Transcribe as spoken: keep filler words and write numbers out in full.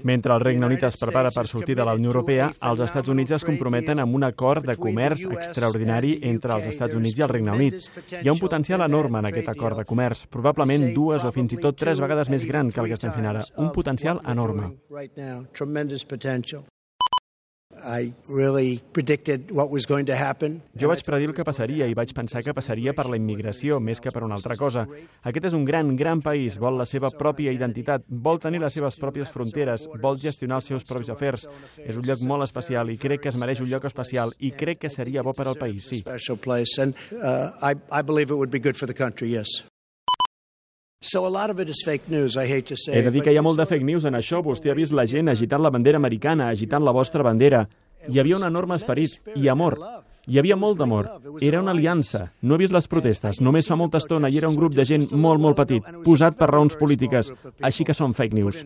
Mentre el Regne Unit es prepara per sortir de la Unió Europea, els Estats Units es comprometen amb un acord de comerç extraordinari entre els Estats Units i el Regne Unit. Hi ha un potencial enorme en aquest acord de comerç, probablement dues o fins i tot tres vegades més gran que el que estem fent ara. Un potencial enorme. Jo vaig predir el que passaria i vaig pensar que passaria per la immigració més que per una altra cosa. Aquest és un gran, gran país, vol la seva pròpia identitat, vol tenir les seves pròpies fronteres, vol gestionar els seus propis afers. És un lloc molt especial i crec que es mereix un lloc especial i crec que seria bo per al país, sí. He de dir que hi ha molt de fake news en això. Vostè ha vist la gent agitant la bandera americana, agitant la vostra bandera. Hi havia un enorme esperit i amor. Hi havia molt d'amor. Era una aliança. No he vist les protestes. Només fa molta estona i era un grup de gent molt, molt petit, posat per raons polítiques. Així que són fake news.